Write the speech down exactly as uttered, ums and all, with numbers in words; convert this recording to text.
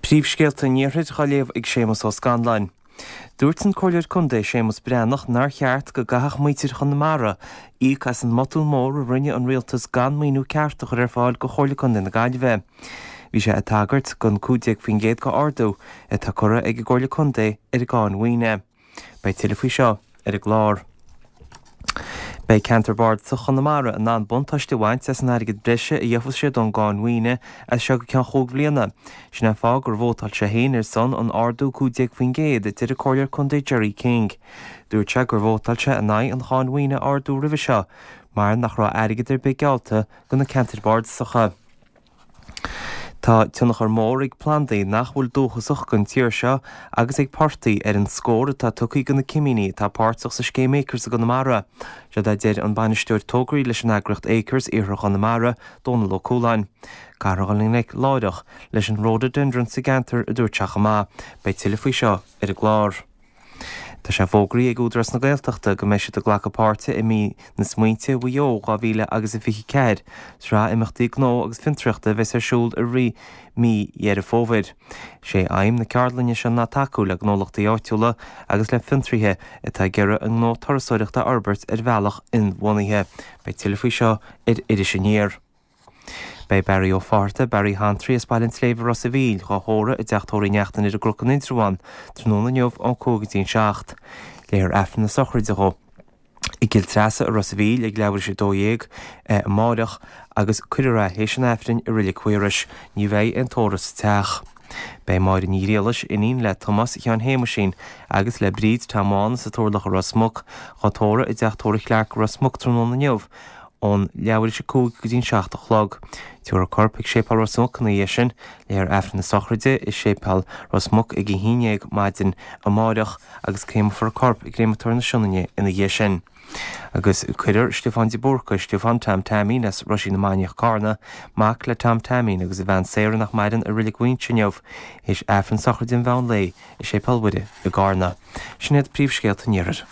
Príomhscéalta an Iarthair á léamh ag Séamus Ó Scanláin. Dúirt an Comhairleoir Contae Séamus Breathnach nár cheart go gcaithfeadh muintir Chonamara íoc as an mbotún mór a rinne an rialtas gan maoiniú ceart a chur ar fáil go Chomhairle Contae na Gaillimhe. Bhí sé ag tagairt don cúig déag faoin gcéad de ardú atá curtha ag an gComhairle Contae ar an gcáin mhaoine. Beidh tuilleadh faoi seo ar an gclár. Beidh ceantar bardasach Chonamara in ann buntáiste a bhaint as an airgead breise a gheofas siad ón gcáin mhaoine as seo go ceann chúig bhliana. Sin an fáth gur vótáil sé féin ar son an ardú cúig déag faoin gcéad a deir an Comhairleoir Contae Gerry King. Dúirt sé gur vótáil sé in aghaidh an cháin mhaoine a ardú roimhe seo mar nach raibh airgead ar bith geallta do na ceantair bardasacha. Tá tionchar mór ag plandaí nach bhfuil dúchasach don tír seo agus ag portaigh ar an scór atá tugtha do na cimíní atá páirteach sa scéim Acres i gConamara. Siod a deir an bainisteoir tograí leis an eagraíocht Acres Iarthar Chonamara, Dónal Ó Cualáin. Caithfear dul i ngleic láithreach leis an rhododendron sa gceantar a dúirt sé chomh maith. Beidh tuilleadh faoi seo ar an gclár. Tá sé fógraithe ag Údarás na Gaeltachta go mbeidh siad ag glacadh páirte i mí na Smaointe Mhaigh Eo dhá mhíle agus a fiche ceathair, sraith imeachtaí gnó agus fiontraíochta a bheas ar siúl i rith mí Dheireadh Fómhair. Sé aidhm na ceardlainne seo ná tacú le gnólachtaí áitiúla agus le fiontraithe atá ag iarraidh a ngnó turasóireachta a fhorbairt ar bhealach inbhuanaithe. Beidh tuilleadh faoi seo ar Iris Aniar. Beidh Barry Ó Fátharta, Barry Hantry as Baile an tSléibhe Ros a' Mhíl, dhá thórramh i dteach tórraimh Uí Neachtain ar an gCnoc in Indreabhán, tráthnóna inniu ón cúig go dtí an seacht. Léifear Aifreann na sochraide dhó i gCill Treasa i Ros a' Mhíl ag leathuair tar éis a dó dhéag amáireach agus cuirfear é théis an Aifrinn i Reilig Mhaorais. Ní bheidh aon tórramh sa teach. Beidh Máire Ní Ghriallais, iníon le Tomás Sheáin Shéamuisín agus le Bríd Tom Bhán as an Turlach i Ros Muc, dhá tórramh i dteach tórraimh Chlarke i Ros Muc tráthnóna inniu ón leathuair tar éis a cúig go dtí an seacht a chlog. Tabharfar a corp chuig Séipéal Ros Muc ina dhiaidh sin. Léifear Aifreann na sochraide i Séipéal Ros Muc ag a haon dhéag maidin amáireach agus créamfar a corp i gCréamatóir na Sionainne ina dhiaidh sin. Agus cuirfear Stiofán de Búrca, Stiofán Tom Taimín as Roisín na Mainiach Carna, mac le Tom Taimín agus a bhean Sarah nach maireann i Reilig Mhaínse inniu, théis Aifreann sochraide an mheán lae i Séipéal Mhuire i gCarna. Sin iad príomhscéalta an Iarthair.